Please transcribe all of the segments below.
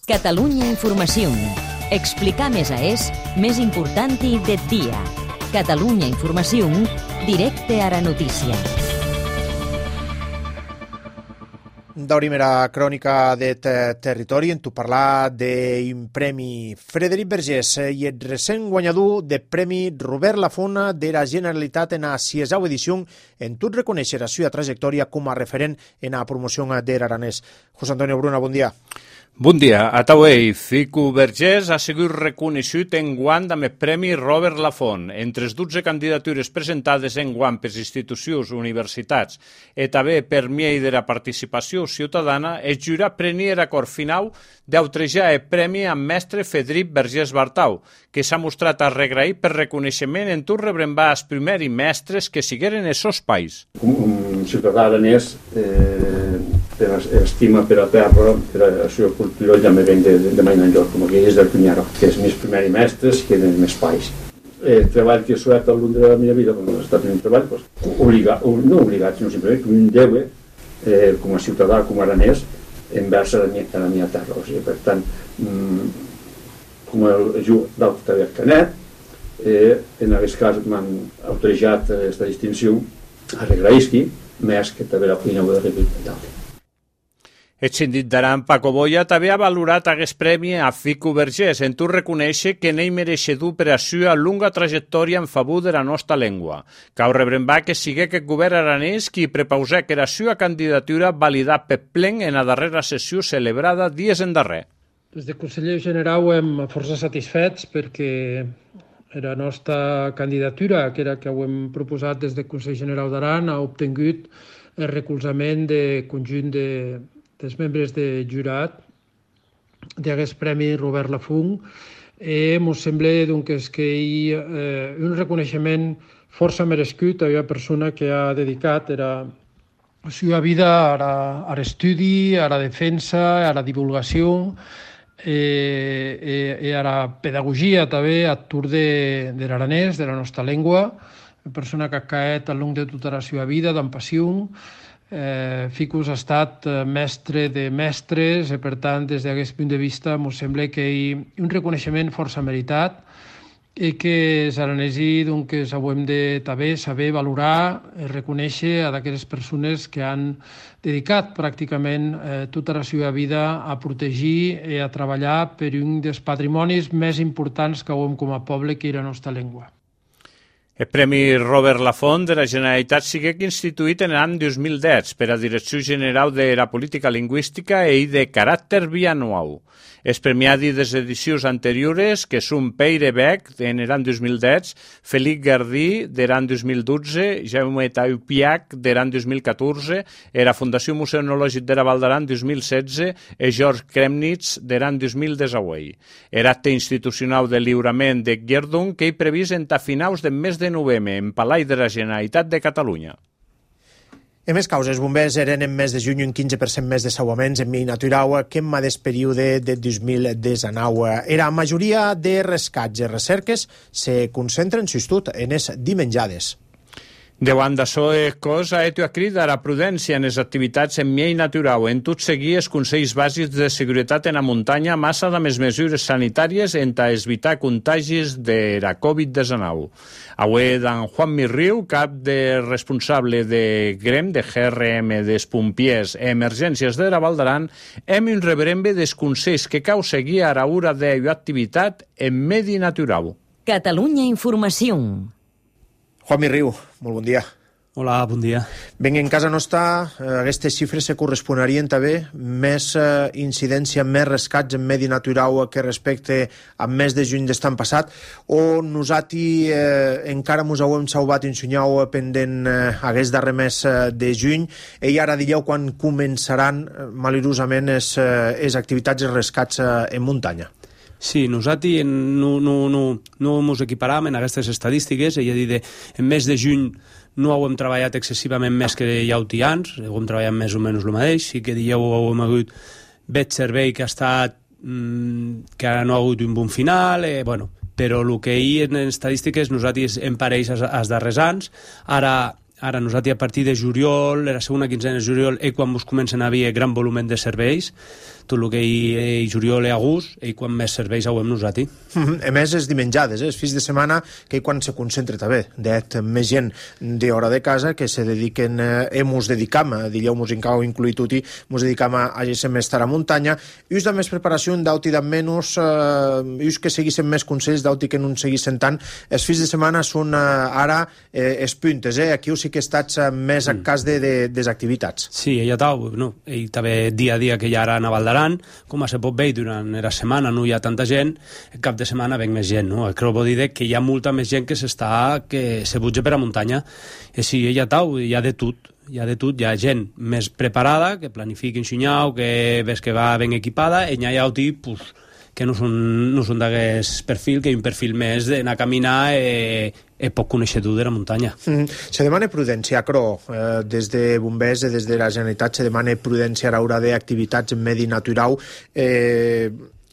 Catalunya Informació. Explicar més és més important del dia. Catalunya Informació, directe a la notícia. Da primera crònica de territori en tu parlar d'un premi Frederic Vergés i el recent guanyador de premi Robert Lafont de la Generalitat en la 6a edició en tu reconèixer la seva trajectòria com a referent en la promoció de l'aranès. José Antonio Bruna, bon dia. Bon dia. A Tauei, Fico Vergés ha sigut reconegut enguany amb el Premi Robert Lafont. Entre les 12 candidatures presentades enguany per institucions, universitats i també per mi de la participació ciutadana, el jurat prenia l'acord final d'autrejar el premi amb mestre Frederic Vergés Bartau, que s'ha mostrat arregraït per reconeixement en tot rebrembar els primers mestres que sigueren els seus pais. Un ciutadà aranès per estima per la terra, per la seva cultura, ja me ven de mai enlloc, com aquells del Cunyaro, que és més primers mestres que eren més pais. El treball que he suat al llarg de la meva vida, quan he estat en un treball, no obligat, sinó simplement que un deu, com a ciutadà, com a aranès, envers a la meva terra. O sigui, per tant, com jo d'altre del Canet, en aquest cas m'han autoritzat aquesta distinció a regraïsqui, més que també la feina de repetir. El síndic d'Aran, Paco Boya, també ha valorat aquest premi a Fico Vergés, en tu reconèixer que n'hi mereixedor per a la seva longa trajectòria en favor de la nostra llengua. Cal rebrembar que sigui aquest govern aranès qui prepausà que la seva candidatura validat per plen en la darrera sessió celebrada dies endarrer. Des del conseller general hem força satisfets perquè la nostra candidatura, que era que ho hem proposat des del Consell General d'Aran, ha obtingut el recolzament del conjunt dels membres de jurat d'aquest premi Robert Lafont. Ens sembla que hi ha un reconeixement força merescut a una persona que ha dedicat la seva vida a l'estudi, a la defensa, a la divulgació i a la pedagogia també a tour de l'aranès, de la nostra llengua, una persona que ha caet al llarg de tota la seva vida amb passió. Ficus ha estat mestre de mestres i, per tant, des d'aquest punt de vista, ens sembla que hi ha un reconeixement força meritat i que els aranesos haurem de també saber valorar i reconèixer a aquelles persones que han dedicat pràcticament tota la seva vida a protegir i a treballar per un dels patrimonis més importants que hem com a poble, que és la nostra llengua. El Premi Robert Lafont de la Generalitat sigui instituït en l'any 2010 per a Direcció General de la Política Lingüística i de caràcter bianual. Els premiats des edicions anteriors, que són Peire Beck, en l'any 2010, Felip Gardí, de l'any 2012, Jaume Taupiac, de l'any 2014, la Fundació Museonològic de la Val d'Aran 2016 i George Kremnitz, de l'any 2018. L'acte institucional de lliurament de Guerdon que hi previst entre finals del mes de novembre en Palau de la Generalitat de Catalunya. En més causes, bombers eren en mes de juny un 15% més de salvaments en mi natural que en mateix període de 2019. La majoria de rescats i recerques se concentren, sobretot, en les dimenjades. Davant d'això, el cos ha cridat a la prudència en les activitats en mi natural, en tot seguir els consells bàsics de seguretat en la muntanya, massa de les mesures sanitàries en evitar contagis de la Covid-19. Avui, d'en Juan Mirriu, cap de responsable de GREM, de GRM, dels pompiers i emergències de la Val d'Aran, hem un rebrembe dels consells que cal seguir a l'hora de l'activitat en medi natural. Catalunya Informació. Juan Mirriu, molt bon dia. Hola, bon dia. Ben, en casa nostra, aquestes xifres se corresponarien també més incidència, més rescats en medi natural que respecte a mes de juny d'estan passat, o nosaltres encara ens hem salvat un senyal pendent aquest darrer mes de juny i ara diríeu quan començaran malauradament les activitats i els rescats en muntanya. Sí, nosaltres no ens equiparàvem en aquestes estadístiques, és a dir, en mes de juny no hem treballat excessivament més que ja ho tians, hem treballat més o menys el mateix, sí que dieu hem hagut veig servei que ha estat, que no ha hagut un bon final, però el que hi en estadístiques nosaltres en pareix als darrers anys, ara ara nosaltres a partir de juliol, la segona quinzena de juliol, quan mos comencen a haver gran volum de serveis, tot el que hi juliol i agost, quan més serveis hauem nosaltres. A més, és dimenjades, els fins de setmana, que quan se concentra també, més gent d'hora de casa que se dediquen, mos dedicam, dileu mos inclui tutti, mos dedicam a estar a muntanya, i us de més preparació, d'auti de menys, i us que seguissin més consells, d'auti que no en seguissin tant, els fins de setmana són ara els puntes, aquí sí que estats més a cas de activitats. Sí, ella també dia a dia que ja ara a Val d'Aran, com se pot veure durant la setmana no hi ha tanta gent, el cap de setmana ven més gent, no? Crec que dir que hi ha molta més gent que se butja per a muntanya, i sí, hi ha de tot, hi ha gent més preparada, que planifica en xinyau, que ves que va ben equipada, i hi ha tipus que no són d'aquest perfil, que hi ha un perfil més d'anar a caminar poc coneixedor de la muntanya. Se demana prudència, Cro, des de bombers i des de la Generalitat se demana prudència a l'hora d'activitats en medi natural.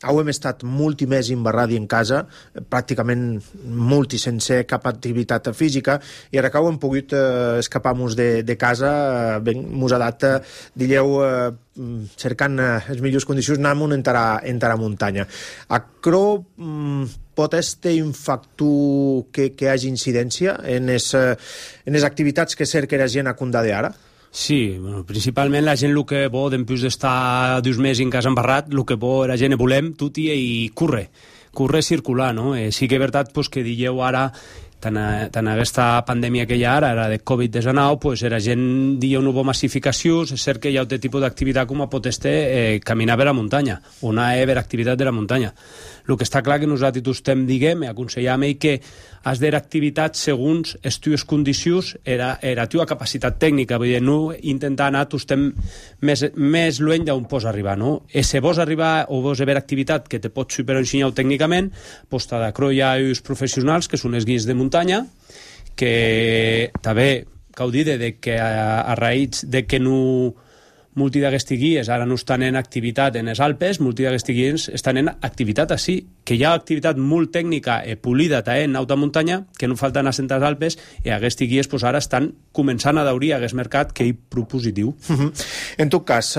Hem estat molt més embarradi en casa, pràcticament molt sense cap activitat física, i ara que hem pogut escapar-nos de casa, mos ha dat, cercant les millors condicions, anem entrar a muntanya. A Cro, pot ser un factor que hi hagi incidència en les activitats que cerca la gent a Condade ara? Sí, principalment la gent el que vol, després d'estar 2 mesos en casa embarrat, el que vol la gent volem tot i curre circular, no? Sí que és veritat que dieu ara, tant aquesta pandèmia que hi ha ara, de Covid-19, la gent diu una bona massificació, és cert que hi ha un tipus d'activitat com pot ser caminar per la muntanya, o anar a veure activitat de la muntanya. El que està clar que nosaltres aconsellem que has de activitats segons les teves condicions i la teva capacitat tècnica, vull dir, no intentar anar més lluny d'on pots arribar, no? I si vols arribar o vols veure activitat que te pots superar ensenyar tècnicament, doncs t'ha de Cro hi ha els professionals que són els guies de muntanya, que també cal dir que a raïs de que no molti d'aquestes guies ara no estan en activitat en les Alpes, molti d'aquestes guies estan en activitat així, que hi ha activitat molt tècnica i polida en alta muntanya, que no falten a les Alpes, i aquestes guies ara estan començant a daurir aquest mercat que és propositiu. En tot cas,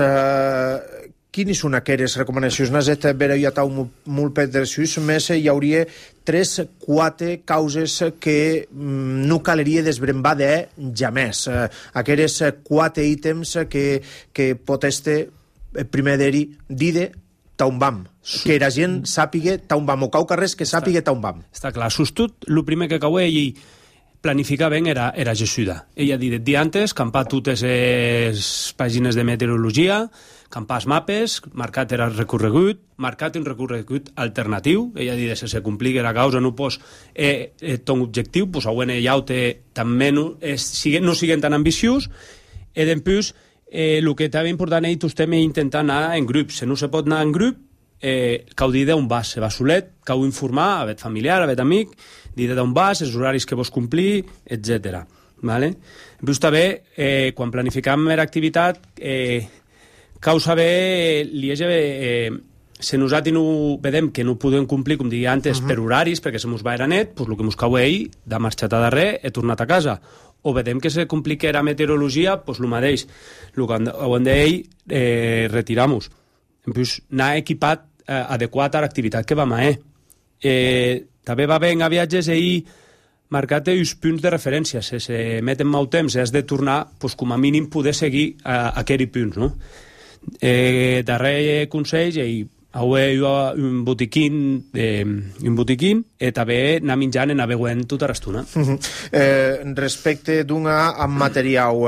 quines són aquelles recomanacions? Nazet vera hi ha molt pedreços, més hi hauria 3-4 causes que no caleria desbrembar de jamés. Aquelles 4 ítems que pot estar primer d'eri dide taun vam. Que la gent sàpiga taun vam, o cau carrers que sàpiga taun vam. Està clar, sostut, el primer que cau ell planificar ben era Jessuda. Ella dit el dia antes, campar totes les pàgines de meteorologia, campar els mapes, marcat el recorregut, marcat un recorregut alternatiu, ella dit que se compligui la causa, no pos ton objectiu, pues següent ella també no siguin tan ambiciós, i després el que també important és estem intentant anar en grup. Si no se pot anar en grup, cau dir d'on vas, se va solet, cau informar, a vet familiar, a vet amic, dir d'on vas, els horaris que vols complir, etc. Després també, quan planificam l'activitat, cau saber, si nosaltres no vedem que no podem complir, com deia antes, per horaris, perquè se mos va era net, el que mos cau ell, de marxat a darrere, he tornat a casa. O vedem que se complica la meteorologia, el mateix. El que hem d'ell, retiram-nos. Anar equipat adequat a l'activitat que vam a també va bé a viatges i marcat els punts de referència. Si se meten molt temps has de tornar, com a mínim poder seguir aquells punts, no? Darrer consell i un botiquín i també anar menjant i anar veient tota l'estona. Respecte d'una amb material,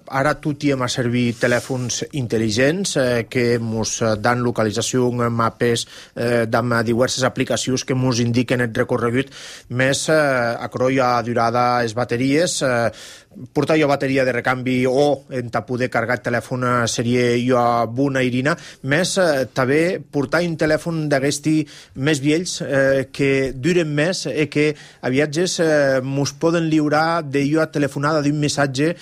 ara tot hi hem a servir telèfons intel·ligents que ens dan localització, mapes, amb diverses aplicacions que ens indiquen el recorregut, més a croia durada les bateries, portar jo bateria de recanvi o en poder carregar el telèfon seria jo bona irina, més també portar un telèfon d'aquesti més vells que duren més i que a viatges mos poden lliurar de jo a telefonada d'un missatge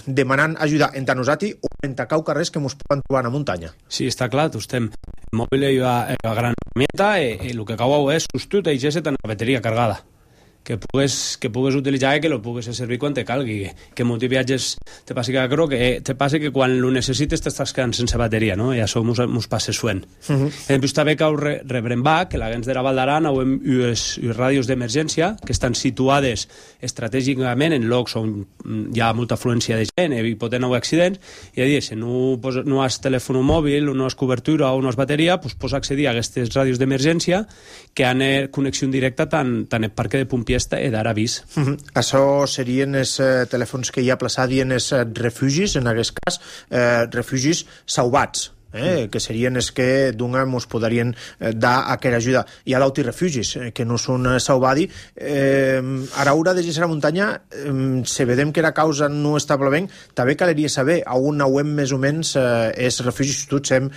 demanant ajuda entre nosaltres o entre cau carrers que mos poden trobar a muntanya. Sí, està clar, estem el mòbil i la gran herramienta i el que cau és sostut i ja se té la bateria cargada. que pugues utilitzar i que lo pugues servir quan te calgui, que molts viatges te passa que quan lo necessites t'estàs quedant sense bateria, no? I això mos passa suent. Després també cau rebrem que la gens de la Val d'Aran hem unes ràdios d'emergència que estan situades estratègicament en llocs on hi ha molta afluència de gent i poden haver accidents, i a dir, si no has telèfon mòbil, no has cobertura o no has bateria, doncs pots accedir a aquestes ràdios d'emergència que han connexió directa tant el parc de pompiers d'ara avís. Això serien els telèfons que hi ha plaçats en els refugis, en aquest cas, refugis sauvats. Que serien els que ens podrien dar aquella ajuda. Hi ha d'autirefugis que no són sauvadi. A l'hora de gestió a la muntanya, si vedem que la causa no està bé, també caleria saber on hem més o menys els refugis. Tots hem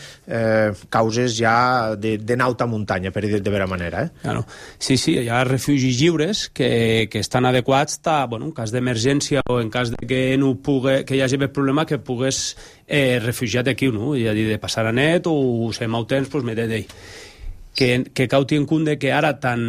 causes ja de n'alta muntanya, per dir de vera manera. Claro. Sí, hi ha refugis lliures que estan adequats en cas d'emergència o en cas de que hi hagi més problema, que pugues refugiat aquí, no? És a dir, de passar a net o ser molt temps, doncs m'he de dir que cal tenir en compte que ara tant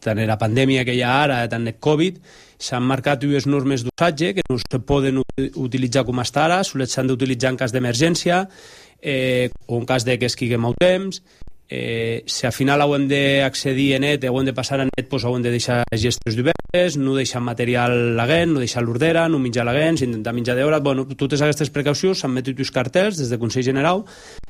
la pandèmia que hi ha ara, tant el Covid, s'han marcat unes normes d'usatge que no se poden utilitzar com està ara, sols s'han d'utilitzar en cas d'emergència o en cas de que es quigui molt temps. Si al final hem d'accedir a net, hem de passar a net, doncs hem de deixar gestos d'obertes, no deixar material laguent, no deixar l'ordera, no menjar laguents, intentar menjar d'hora. Totes aquestes precaucions s'han metut els cartells des del Consell General,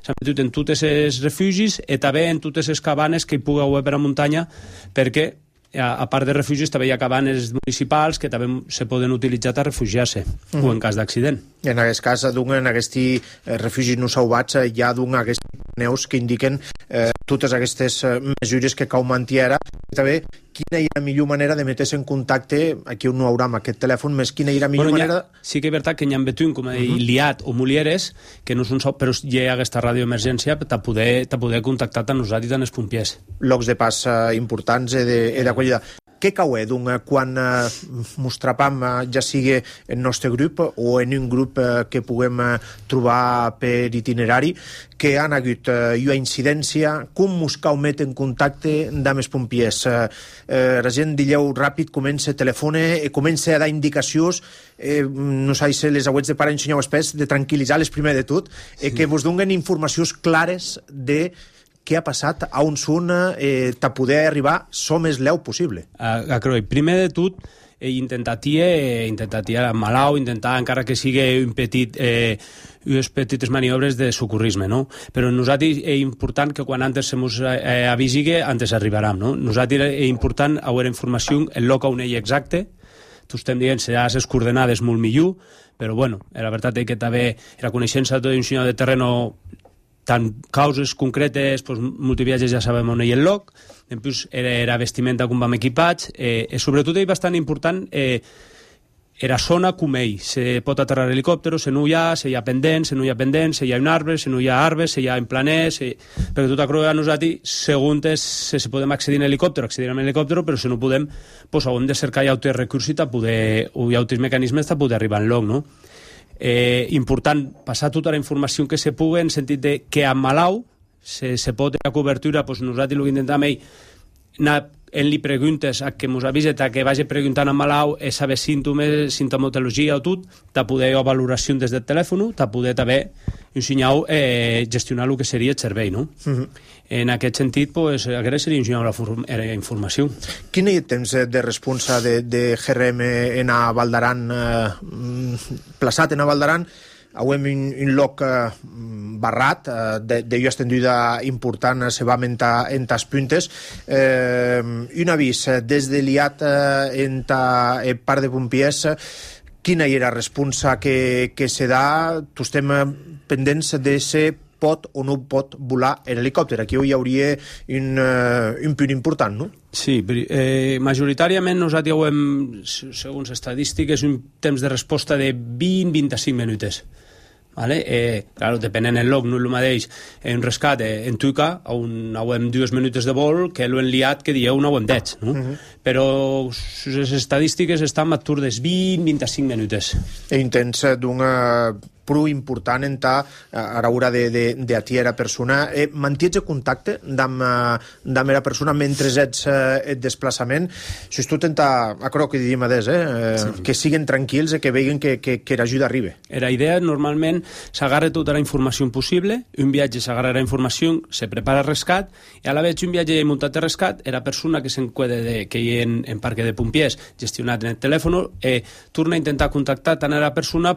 s'han metut en tots els refugis i també en totes les cabanes que hi pugui haver per a muntanya, perquè a part de refugis també hi ha cabanes municipals que també se poden utilitzar per refugiar-se o en cas d'accident. En aquest cas, en aquests refugis no sauvats hi ha aquests neus que indiquen totes aquestes mesures que cal mantenir. També, quina hi ha la millor manera de metre's en contacte, aquí no haurà amb aquest telèfon, més quina hi ha la millor manera... Sí que és veritat que hi ha betún, com a dir, liat o mulieres, que no són però hi ha aquesta ràdio d'emergència per poder contactar tant nosaltres i tant els pompiers. Llocs de pas importants i d'acollida. Què cau quan mos trapam, ja sigui en el nostre grup o en un grup que puguem trobar per itinerari, que han hagut una incidència, com mos cau met en contacte amb els pompiers? La gent, dilleu ràpid, comença a telefone, comença a dar indicacions, no sé si les auets de pare ensenyeu espès, de tranquil·litzar-les primer de tot, que vos donen informacions clares de què ha passat, on són, per poder arribar so més leu possible. Primer de tot, intentar tirar malalt, intentar, encara que sigui unes petites maniobres de socorrisme, no? Però nosaltres és important que quan antes se mos avisigue, antes arribarem, no? Nosaltres és important haver informació en lloc on ell exacte. Tu estem dient que les coordenades molt millor, però la veritat és que també la coneixença d'un senyor de terreno, tant causes concretes, multiviatges ja sabem on hi ha el lloc, després era vestimenta com vam equipats, sobretot és bastant important era zona com ell, se pot aterrar helicòptero, se no hi ha, se hi ha pendent, se no hi ha pendent, se hi ha un arbre, se no hi ha arbre, se hi ha en planer, perquè tot acroba a nosaltres, segons se podem accedir en helicòptero, accedirem en helicòptero, però si no podem, doncs hem de cercar altres recursos o altres mecanismes per poder arribar en lloc, no? Important passar tota la informació que se pugui en sentit de que amb malau se pot a cobertura, doncs nosaltres el que intentem anar li preguntes a que mos avise, que vagi preguntant a malau saber símptomes, sintomatologia o tot, de poder fer valoració des del telèfon, de poder també ensenyar gestionar el que seria el servei, no? En aquest sentit, aquesta seria ensenyar la informació. Quin és el temps de responsa de GRM en a Val d'Aran, plaçat en a Val d'Aran? Avem un lloc barrat, de llur estendida important, se va aumentar en tas puntes. Un avís des de l'IAT en el parc de pompiers, quina era la responsa que se da? Tu estem pendents de ser pot o no pot volar l'helicòpter. Aquí hi hauria un punt important, no? Sí, majoritàriament nosaltres hem, segons estadístiques, un temps de resposta de 20-25 minuts. Claro, depenent del lloc, no és el mateix un rescat en Tuica, on hem 2 minuts de vol, que l'hem liat que dieu 9 10, no? Però les estadístiques estan a tur dels 20-25 minuts. I intents prou important a l'hora d'atiera persona. Mantiets contacte amb era persona mentre ets el desplaçament? Si tu tenta, acro que diríem que siguen tranquils i que vegin que l'ajuda arriba. La idea normalment s'agarra tota la informació possible, un viatge s'agarra la informació, se prepara el rescat, i a la vegada un viatge muntat de rescat, la persona que s'encueda que hi ha en parque de pompiers gestionat en el telèfon, torna a intentar contactar tant a la persona,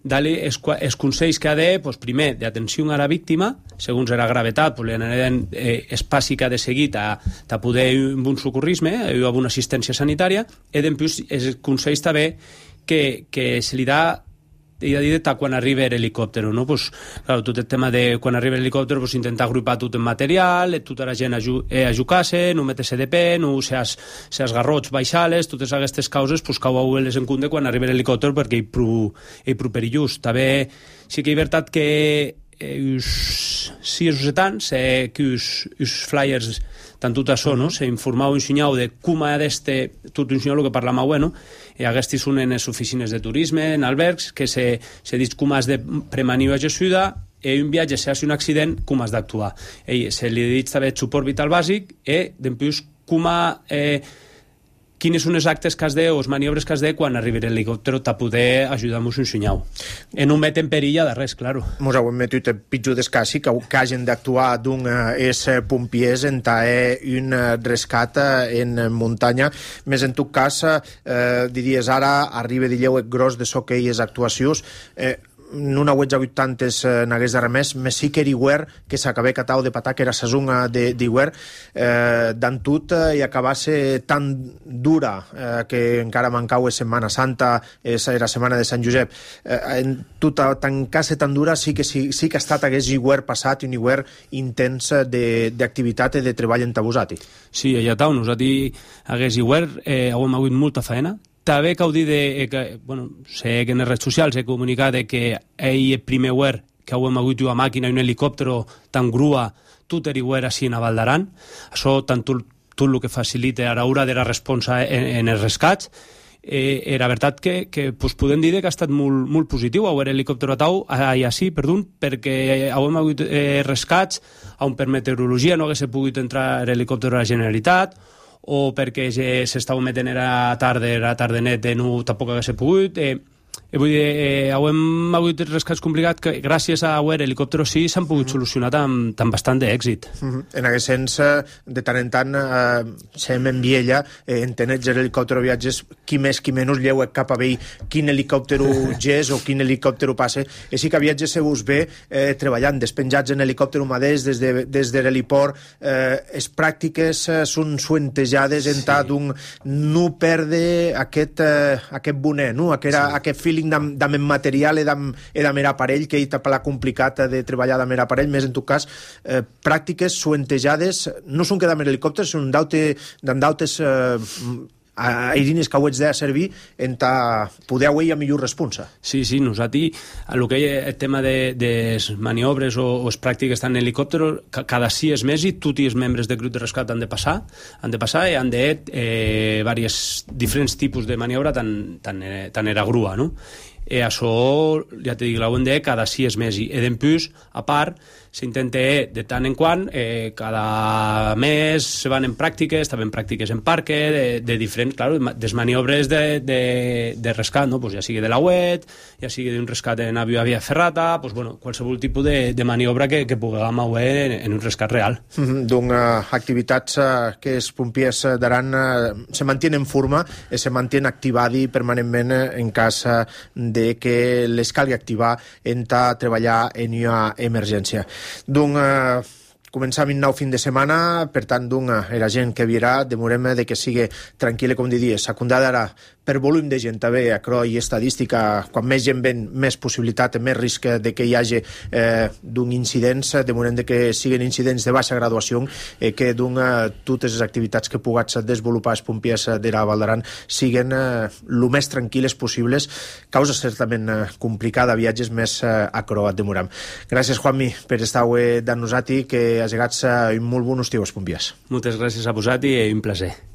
dar-li els consells que ha de, primer, d'atenció a la víctima, segons la gravetat, li anarem espaci que ha de seguir a poder un bon socorrisme, a una assistència sanitària, i després els consells també que se li dà quan arriba l'helicòpter, no? Tot el tema de quan arriba l'helicòpter intentar agrupar tot el material, tota la gent ajucar-se, no metre-se de peu, no els garrots baixar-les, totes aquestes causes cau-les en compte quan arriba l'helicòpter perquè és prou perillós. També sí que és veritat que si els setants que els flyers tant tot això, s'informau un senyal de com ha d'este, tot un senyal que parla molt bueno, i aquestes són en les oficines de turisme, en albergs, que se diu com has de premanir ajuda, i un viatge, si ha un accident, com has d'actuar. Se li diu també suport vital bàsic, i després quines són els actes que has de, o les maniobres que has de quan arribi l'helicòpter a poder ajudar-nos un senyal. I no met en perill de res, claro. Mos heu metut pitjor d'escassi que hagin d'actuar és pompiers en un rescat en muntanya. Més en tot cas, diries ara, arriba d'illeu gros de so que hi és actuacions, no n'hauets hagut tantes n'hagués de remès, més sí que Iguer, que s'acabé catau de patar, que era sazunga d'Iguer, d'en tot i acabasse tan dura que encara mancau és Setmana Santa, era Setmana de Sant Josep, en tota tancar-se tan dura sí que ha estat hagués Iguer passat, un Iguer intens d'activitat i de treball entabusat. Sí, allà tau, nosaltres hagués Iguer, hem hagut molta feina. També cal dir sé que en les redes socials he comunicat que el primer Uer que hem hagut una màquina i un helicòpter tan grua, tot el Uer així a Val d'Aran. Això tant tot el que facilita a l'hora de la responsa en els rescats. La veritat que podem dir que ha estat molt positiu haver helicòpter perquè hem hagut rescats on per meteorologia no hagués pogut entrar l'helicòpter a la Generalitat, o perquè s'estava metent a tarda net no tampoc hagués pogut. Vull dir, hem hagut rescats complicats que gràcies a l'helicòpter sí s'han pogut solucionar amb bastant d'èxit. En aquest sens, de tant en tant sem en Viella, entenets l'helicòpter o viatges, qui més qui menys lleu cap a vell quin helicòpter gés o quin helicòpter passe, i sí que viatges se us ve treballant, despenjats en helicòpter mateix des de l'heliport, les pràctiques són suentejades en tant d'un no perdre aquest bonet, aquest feeling d'am material i d'am aparell, que hi t'ha complicat de treballar d'am aparell, més en tot cas pràctiques suentejades, no són que d'am helicòpters, són d'autes airines que ho ets de servir en poder a millor responsa. Sí, nosaltres, el que hi ha el tema de maniobres o les pràctiques tant en helicòpter, cada 6 mesos tots els membres del grup de rescat han de passar i han de diferents tipus de maniobra tant era grua, no? I això, ja t'he dit, l'hem de cada 6 mesos. I després, a part, s'intenta de tant en quant, cada mes se van en pràctiques, també en pràctiques en parque, de diferents, clar, des maniobres de rescat, no? Ja sigui de la UET, ja sigui d'un rescat en avió a via ferrata, qualsevol tipus de maniobra que puguem haver en un rescat real. Doncs activitats que els pompiers d'Aran se mantenen en forma i se mantenen activats permanentment en cas de que les calgui activar en treballar en una emergència. Doncs començam un nou fin de setmana, per tant, la gent que virà, demorem de que sigui tranquil·la, com diries, secundada ara per volum de gent, també, i estadística, quan més gent ven, més possibilitat, més risc de que hi hagi d'un incidents, demorem de que siguin incidents de baixa graduació, que totes les activitats que pugats desenvolupar els pompiers de la Val d'Aran siguen el més tranquil·les possibles, causa certament complicada, viatges més acrobat, demorem. Gràcies, Juanmi, per estar amb nosaltres, que has llegat un molt bon estiu als pompiers. Moltes gràcies a vosaltres i un plaer.